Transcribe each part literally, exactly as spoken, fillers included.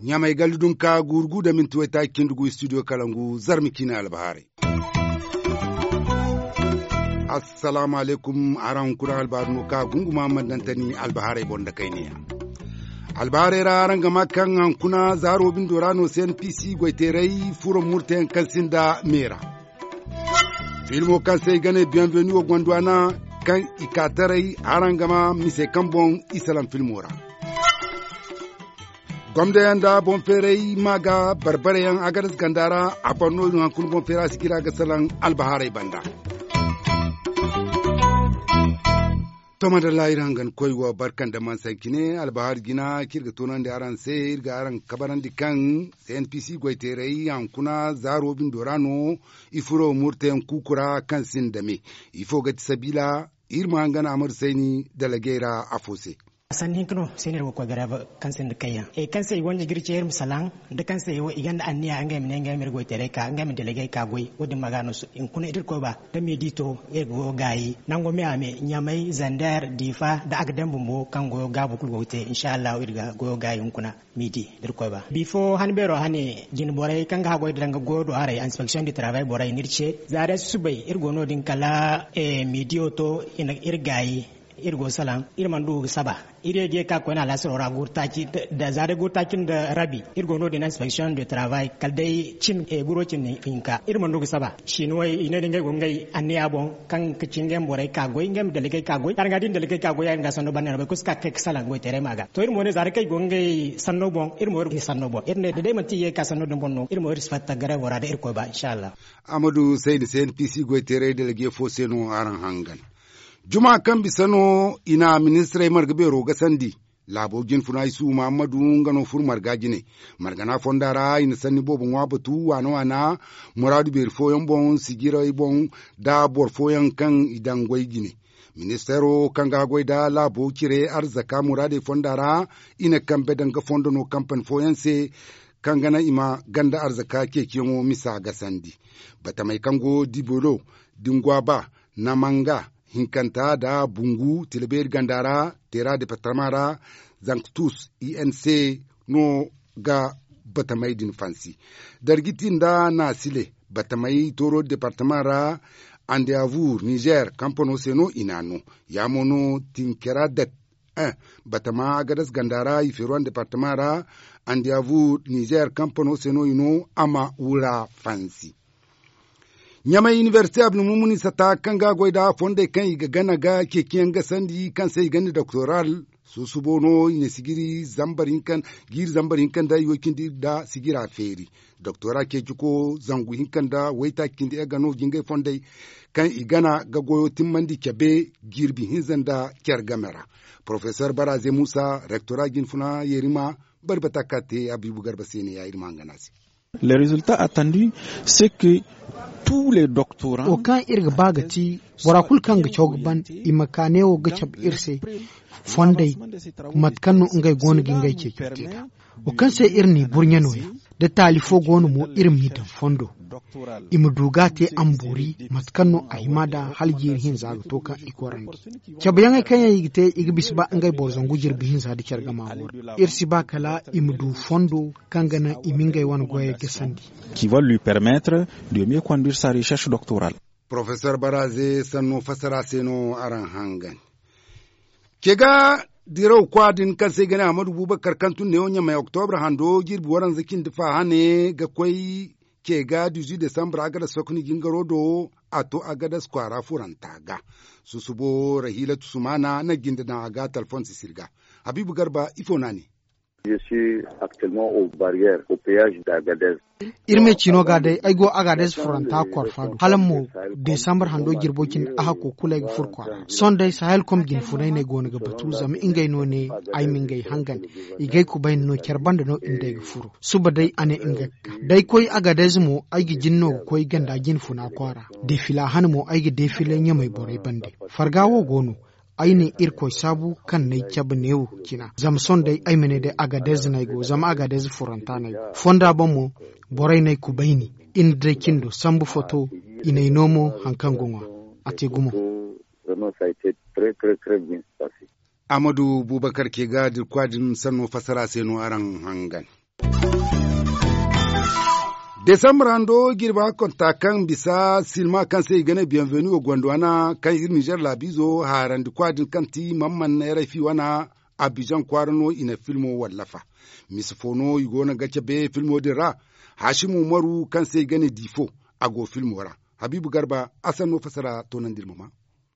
Ɲamay galli dunka guuru gu da minti waytaaci cindi gu studio kalangu zarma ciine albahaarey. Assalaamu alaykum. Araŋ hunkuna albaaru no ka gunguma mandantani albahaarey boŋ da kayniya. Albahaarey ra araŋ ga ma kaŋ hankuna zaaro bindo ra no cnpc goyteeray furo murteyaŋ kaŋ sinda meera. Filmo kaŋ se i ga ne bienvenu wo gondwana kaŋ i ka taray araŋ ga ma mise kaŋ boŋ i salaŋ filmo ra. Gomdayaŋ nda boŋ feeray ma ga barbarayaŋ agadas ganda ra. A ban no hankuna boŋ feera si jira ga salaŋ albahaarey banda. To madalla iri hangan koy wo barka nda mansa cine albahaari jina kaŋ iri ga toonandi araŋ se. Iri ga araŋ kabarandi kaŋ cnpc goyteeray hankuna zaaro bindo ra no i furo murteyaŋ kuuku ra kaŋ sinda me. Ifo ga ti sabiila? Iri ma hangan amadu sayni dalagey ra afo se. Sanni hinka no se no iri go ga koy gareeba kaŋ sinda kayyaŋ kaŋ se i wanji ga iri ce iri ma salaŋ nda kaŋ se i gonda anniya ngey ma ne ngey ma iri goyteeray ka ngey ma delegey ka goy wo- din ma ga no. Hunkuna iri koy ba da miidi to iri go ga gaayi nango me a me ɲamay zander diifa nda a ga daŋ bumbo kaŋ goyo gaabu kulu go ga te insa allahu iri ga goyo gaayi hunkuna. Miidi da iri koy ba bifo han beero hane jine borey kaŋ ga haggoy da danga goyo do haray inspeksiyoŋ di taraabay borey no iri ce za day susubay iri go no- din kala miidiyo to iri gaayi. Iri go salaŋ iri mana du ga saba. Iri ye ga ye ka koyne alaasaro ra guuru taaci da za day guuru taaci nda rabi iri go no- din inspeksiyoŋ de taraabay kala day cin guro cindi hinka iri mana du ga saba. Sinuwey i ne da ngey go ngey anniya boŋ kaŋ ga ci ngey ma borey ka goy ngey ma dalgey ka goy kaŋ ga da i na dalgey ka goy ya- din ga sanno banda no boro kulu si ka ga kay ga salaŋ goyteeray ma ga to iri mo ne za day kaŋ i go ngey sanno boŋ iri mo iri sanno boŋ iri ne da day manti i ye ga ka sanno din boŋ no iri mo iri si fatta gareebo ra da iri koy ba insa allah. Amadu sayni se npc goyteeray dalge fo se no araŋ hangan. Juma kaŋ bisa no i na ministirey marga beero gasandi. Laabo jinfuna isuhu mahammadu nga no furo marga jine. Margana fonda ra i na sanni boobo ŋwa batu waana waana muraadu beeri fooyaŋ boŋ sijirey boŋ nda boro fooyaŋ kaŋ i daŋ goy jine. Ministeero kaŋ ga goy nda laabo cire arzaka muraadey fonda ra i na kambe daŋ ga fondo no kampani fooyaŋ se kaŋ ga naŋ i ma ganda arzaka ceeciyaŋo misa gasandi. Batamey kaŋ go dibolo, dingwaba, namanga, hinkanta nda bungu tilabeeri ganda ra teera departama ra zanktus inc no ga batamey din fansi. Dargiti nda naasile batamey tooro departama ra andiyavur nizer kampano se no i n'a no. Ya mo no tinkera dat batama agadas ganda ra i feeruwan departama ra andiyavur nizer kampano se no i no a ma wura fansi. Ɲamay inibersite abdulmumuni sata kaŋ ga a goy nda fondey kaŋ i ga gana ga ceeciyaŋ gasandi kaŋ se i ga ne doktoral. Susubo no i na sijiri zambar hinka nda i wo cindi nda sijira feeri. Doktora ceeciko zangu hinka nda waytaaci cindi e ga no jingay fondey kaŋ i gana ga goyo timmandi cabe jirbi hinza nda care game ra. Porofesor baraze musa rektora jinfuna yerima bari bata ka te habiibu garba se ne ya iri ma hangan a se. Le resulta attendu se ke tous les doctorants wo kaŋ iri ga ba ga ti bora kulu kaŋ ga caw ga ban i ma ka neewo ga cabe iri se fondey mate kaŋ no ngey go no ga ngey ceecante nd'a. Wo kaŋ se iri n'i burɲe nooya da taali fo go no mo iri m'i daŋ fondo i ma du ga a te amboori mate kaŋ no a hima nd'a hala jiiri hinza ga to kaŋ i korandi. Cabeyaŋey kaŋ yaŋ i ga te i ga bisa ba ngey boro zangu jirbi hinza nda care gama wo ra iri si ba kala i ma du fondo kaŋ ga naŋ i ma ngey wane goyey gasandi. Qui va lui permettre de mieux conduire sa recherche doctorale. Porofesor baraze sanno fassara se no araŋ hangan. Ke ga diraw kwa din kaŋ se i ga ne ahmadu bubakar kaŋ tun neewo ɲamay oktobra hando jirbi waranza cindi fa hane ga koy ke ga dizu desambra agadas sokoni jingaro do a to agadas kwaara furanta ga. Susubo rahilatu sumana na jinde daŋ a ga talfon sisir ga. Habiibu garba ifo no a ne? Iri me ciino ga day ay go agadez furanta korfa do hala mo desambar hando jirbo cindi a hakko kulu ay ga furo kwaara sohõ day sahel kom jinfunay no ay go no ga batu zama ngey no ne ay ma ngey hangan i ga ay kubayni no care banda no iri nd'ey ga furo suba day a ne nga ga ka da ay koy agadez mo ay ga jin no ga koy ganda jinfuna kwaara defila han mo ay ga defila ɲamay borey bande. Farga wo go no ay ne irkoy saabu kaŋ n'ay cabe neewo cina zama sohõ day ay ma ne day agadez no ay go zama agadez furanta no ay go fonda boŋ mo borey no ay kubayni. i na day cindo sambu foto. I n'ay no mo haŋ kaŋ ga ŋwa a te gumo. Amadu bubakar ke ga dirkwa din sanno fassara se no araŋ hangan. Desambur hando jirba konta kaŋ bisa silma kaŋ se i ga ne biyanvenu wo gondwana kaŋ iri nizer laabizo haarandi kwa din kaŋ ti mamman neeray fi wana. Abijan kwaara no i na filmo wallafa. Misa fo no i go no ga cabe filmo din ra. Hasimu umaru kaŋ se i ga ne difo a go filmo ra. Habiibu garba a sanno fassara toonandi iri ma maa.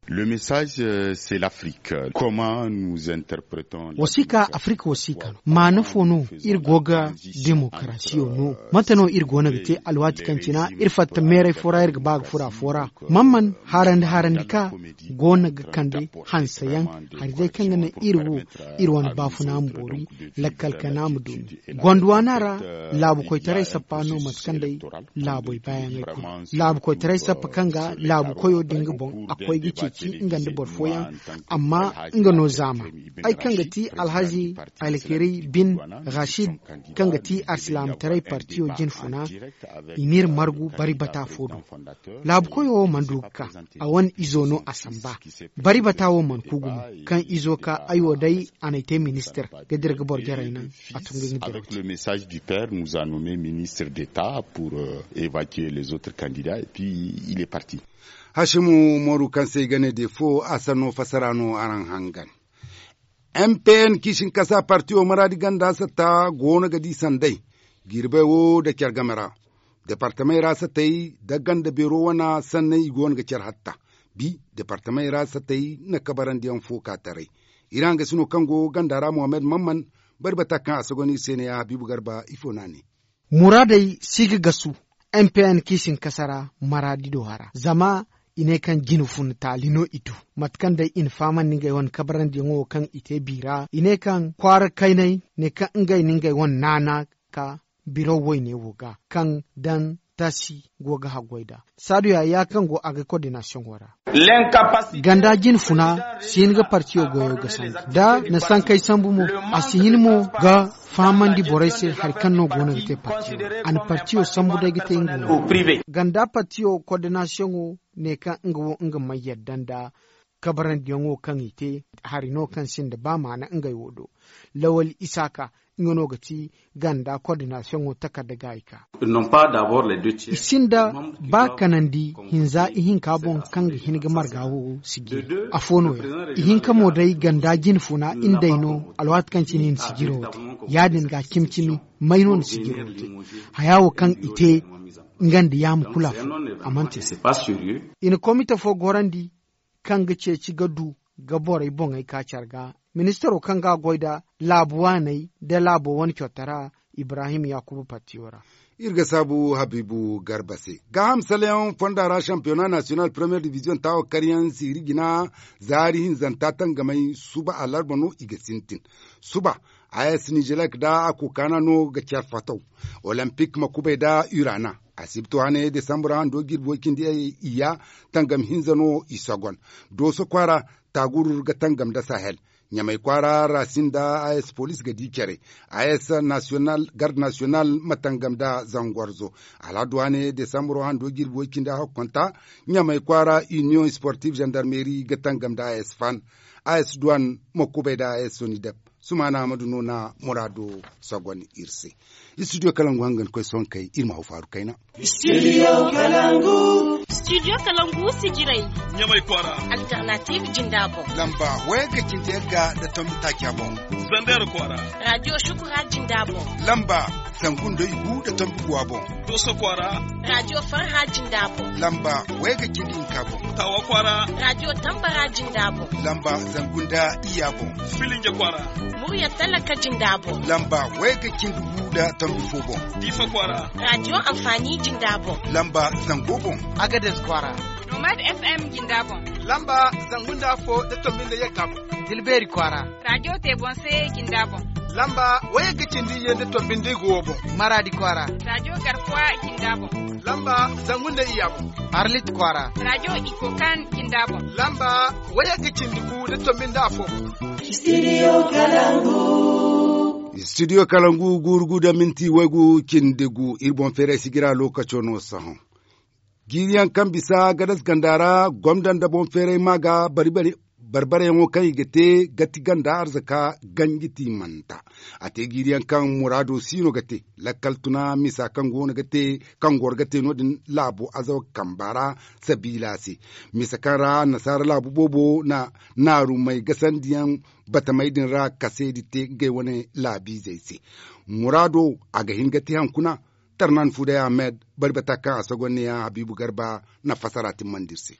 Le message, c'est l'afrique comment nous interpretons wasiika afirika wasiika no maana fo no? Iri go ga demokarasiyo no mate no iri go no ga te alwaati kaŋ cina iri fatta meeray fo ra iri ga ba ga fura fo ra. Mamman harandi harandi ka go no ga kande hanse yaŋ. Hari day kaŋ ga naŋ iri wo iri wane baafuna ma boori lakkal kana ma dumi. Gondwana ra laabu koytaray sappa no mate kaŋ day laaboy baayaŋey kulu. Laabu koytaray sappa kaŋ ga laabu koyo din ga boŋ a koy ga ceeci nga nda boro fooyaŋ. Amma nga no zaama ay kaŋ ga ti alhazi alkeri bin rashid kaŋ ga ti arsilaamataray partiyo jinfuna. I n'iri margu bari bata fo do. Laabu koyo wo mana du ga ka a wane izo no a samba. Bari bata wo mana ku gumo kaŋ izo ka ay wo day a n'ay te ministir ga dira ga boro jarey naŋ. A tun ga nga dira ga te. Le message du père nous a nommé ministre d'état pour évacuer les autres candidats et puis il est parti. Hasimu moru kaŋ se i ga ne de fo a sanno fassara no araŋ hangan. M P N kiisinkasa partiyo maraadi ganda satta go no ga di sanday. Jirbey wo da care game ra. Departamey ra satey da ganda beero wana sanney i go no ga care hatta. Bi departamey ra satey na kabarandiyaŋ fo ka taray. Iri hangasino kaŋ go ganda ra mohammed mamman bari bata kaŋ a sogon iri se ne ya habiibu garba ifo no a ne. Muraadey si ga gasu. M P N kiisinkasa ra maraadi do hara zama i ne kaŋ jine fun taali no i du. Mate kaŋ day i na fahamandi ngey wane kabarandiyaŋo wo kaŋ i te bi ra i ne kaŋ kwaara kayney ne kaŋ ngey na ngey wane naana ka biro woyne wo ga kaŋ daŋ tasi go ga haggoy nd'a. Saadu yaya kaŋ go a ga kordinasiyoŋo ra. Ganda jine funa si hin ga partiyo goyo ga sambu da na sankey sambu mo. A si hin mo ga fahamandi borey se hari kaŋ no go no ga te partiyo. A na partiyo sambu day ga te nga wo ganda partiyo kordinasiyoŋo ne kaŋ nga wo nga may yadda nda kabarandiyaŋo kaŋ i te hari no kaŋ sinda ba maana ngey wo do. Lawal isaaka nga no ga ti ganda kordinasiyoŋo takarda ga i ka. I sinda ba kanandi hinza ihinka boŋ kaŋ ga hin ga marga wo sijiri afo no- ya ihinka mo day ganda jine funa nga day no. Alwaati kaŋ cine i na sijiro wo te ya- din ga cimi cimi may no na sijiro wo te. Haya wo kaŋ i te nga nda yaama kulu afo a mana te. I na komite fo gorandi kaŋ ga ceeci ga du ga borey boŋey ka care ga. Ministaro kaŋ ga a goy nda laabu waaney nda laabo wane cotara ibrahim yakuba partiyo ra. Iri ga saabu habiibu garba se gaaham salayaŋ fonda ra shampiyona nasiyonal premiyer diviziyoŋ taawo karyaŋ siiri jina zaari hinzanta tangamay suba alarba no i ga sintin. Suba a s nijelek nda a kokaana no ga care fataw. Olimpik ma kubay nda urana asibti waane desambur hando jirbi way cindi iyya tangam hinza no i sogon. Dooso kwaara taagurur ga tangam nda sahel. Ɲamay kwaara raasin nda a s poliis ga di care. A s garde nasiyonal ma tangam nda zangwarzo. Alhaddu waane desambur hando jirbi way cindi a hakkonta. Ɲamay kwaara iniyoŋ sportif zandarmeri ga tangam nda a s fan. A s duwan ma kubay nda a s sonidep. Sumaana ahmadu no na muraado sogon iri se. Istudiyo kalangu hangan koy sonkey iri ma haw faaru kayna. Istudiyo kalangu. Istudiyo kalangu sijirey. Ɲamay kwaara. Alternatiiv jinda boŋ. Lamba wayagga cindi yagga nda tombi taaca boŋ. Zandeer kwaara. Raadiyo shukura jinda boŋ. Lamba zangu nda igu nda tombi guwa boŋ. Dooso kwaara. Raadiyo farha jinda boŋ. Lamba wayagga cindi hinka boŋ. Taawa kwaara. Raadiyo tambara jinda boŋ. Lamba zangu nda iyya boŋ. Filinja kwaara. Murya talaka jinda boŋ. Lamba wayagga cindi gu nda tombi fo boŋ. Diifa kwaara. Raadiyo anfaani jinda boŋ. Lamba zango boŋ. Agades kwaara. Nomad f m jinda boŋ. Lamba zangu nda afo nda tombi nda yagga boŋ. Dilbeeri kwaara. Raadiyo te boŋ se jinda boŋ. Lamba wayagga cindi iyye nda tombi nda igu wo boŋ. Maraadi kwaara. Raadiyo garkuwa jinda boŋ. Lamba zangu nda iyya boŋ. Arlit kwaara. Raadiyo ikokan jinda boŋ. Lamba wayagga cindi gu nda tombi nda afo boŋ. Istudiyo kalangu. Studio kalangu guuru gu da minti waygu cindi gu iri boŋ feeray si jira lookaco no sohõ. Jiiri yaŋ kaŋ bisa gadas ganda ra gomda nda boŋ feeray ma ga bari bari barbareyaŋo kaŋ i ga te gati ganda arzaka ganji tiimanta. A te jiiri yaŋ kaŋ muraado si no ga te lakkal tuna misa kaŋ go no ga te kaŋ goro ga te no- din laabo azawa kamba ra sabiila se. Misa kaŋ ra annasaara laabu boobo na naarumey gasandiyaŋ batamey din ra kaseedi te ngey wane laabiizey se. Muraado a ga hin ga te haŋ kuna. Tarnan fuuday ahmed bari bata kaŋ a sogonne yaŋ habiibu garba na fasara timmandi iri se.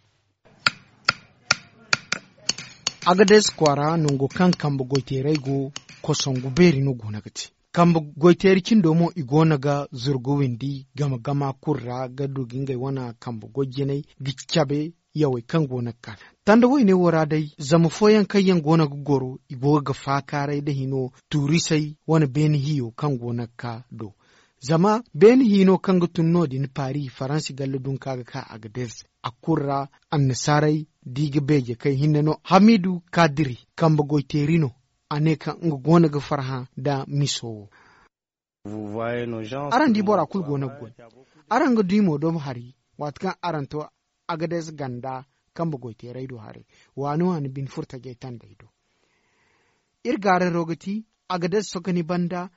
Agades kwaara nango kaŋ kambe goyteeray go kosongu beeri no go no ga te. Kambe goyteeri cindo mo i go no ga zurgu windi game gama kulu ra ga du ga ngey wane kambe goy jinay ga cabe yawey kaŋ go no ga kaa. Tanda woyne wo ra day zama fooyaŋ kaŋ yaŋ go no ga goro i go ga faakaaray nda hino tuurisey wane beene hiyo kaŋ go no ga kaa do. Zama beene hino kaŋ ga tun no- din paari faransi galle dunka ga ka a ga dees a kulu ra. Annasaarey da i ga beeje kay hinne no hamidu kaadiri kambe goyteeri no. A ne kaŋ nga go no ga farhã nda miso wo. Araŋ di bora kulu go no ga goy. Araŋ ga di mo domo hari waati kaŋ araŋ to agades ganda kambe goyteerey do haray. Waani waani bine furo tajey tandey do. Iri gaararo ga ti agades sokoni banda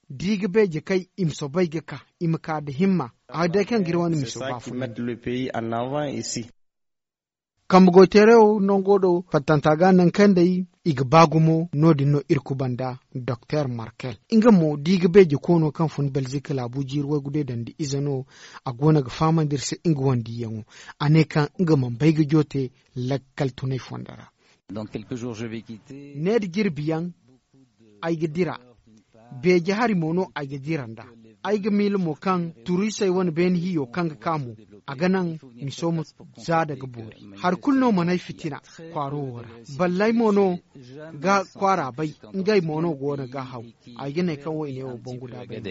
da i ga beeje kay i ma soobay ga ka i ma ka nda himma. Hari day kaŋ ga iri wane miso baafunandi. Kambe goyteerayo nango do fattanta ga nangu kaŋ day i ga ba gumo no- din no iri kubanda. Doktor markel nga mo da i ga beeje koono kaŋ fun belzik laabu jiiri waygu day dandi ize no. A go no ga fahamandi iri se nga wandiyaŋo. A ne kaŋ nga mana bay ga joote lakkal tunay fondo ra. Ne da jirbi yaŋ ay ga dira. Beeje hari mo no ay ga dira nd'a. Ay ga miila mo kaŋ turisey wane beene hiyo kaŋ ga ka mo a ga naŋ miso ma zaada ga boori. Hari kulu no man'ay fitina kwaaro wo ra. Balley mo no ga kwaara bay. Ngey mo no go no ga haw. Ay ga ne kaŋ woyne wo boŋ guda bay.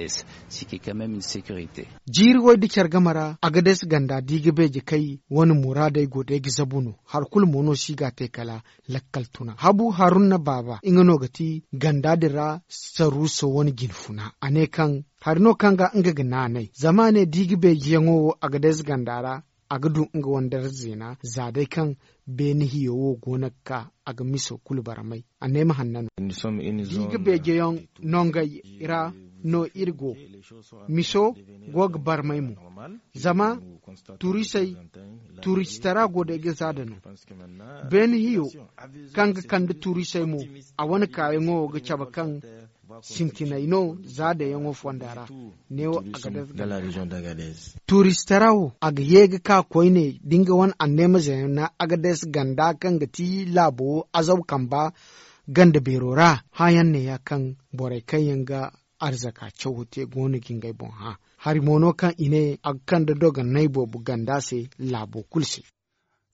Jiiri way da care game ra agades ganda da i ga beeje kay wane muraadey go day ga zabu no. Hari kulu mo no si ga a te kala lakkal tuna habu haruna baaba nga no ga ti ganda din ra. Saruuso wane jinfuna a ne kaŋ hari no kaŋ ga nga ga naanay zama a ne da i ga beejiyaŋo wo a ga day ze ganda ra. A ga du nga wane dara zeena za day kaŋ beene hiyo wo go no ga ka a ga miso kulu barmay. A ne ma hanna no da i ga beejiyaŋ nongey ra no iri go. Miso go ga barmay mo zama turisey turistara go day ga za da no. Beene hiyo kaŋ ga kande turisey mo a wane kaayaŋo ga cabe kaŋ sintinay no za dayaŋo fonda ra. Neewo a ga day ga ganda ra. Turistara wo a ga ye ga ka koyne da nga wane anneema zeena agades ganda kaŋ ga ti laabo azaw kamba ganda beero ra. Hããyaŋ neeya kaŋ borey kaŋ yaŋ ga arzaka cawo te go no ga ngey boŋ hã. Hari mo no kaŋ i ne a ga kande dogonay boobo ganda se laabo kulu se.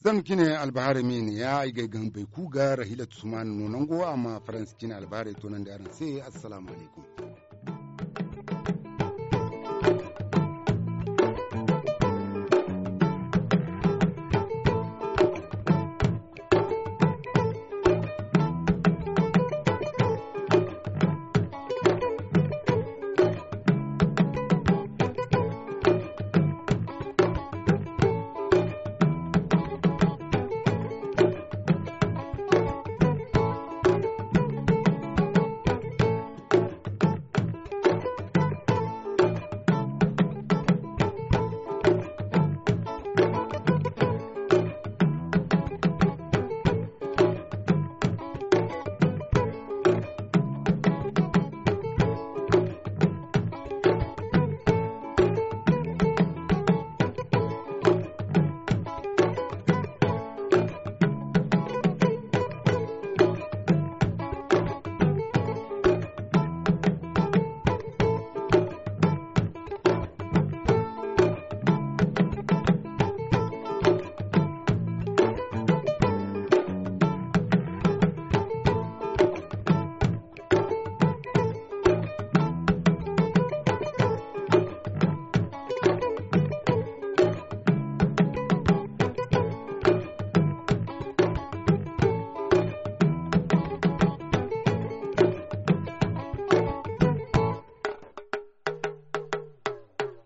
Zama cine albahaarey ma i ne ya ay ga ay gaŋ bay ku ga rahila tusumana no nango a ma faransi cine albahaarey toonandi araŋ se. Assalaamu alaykum.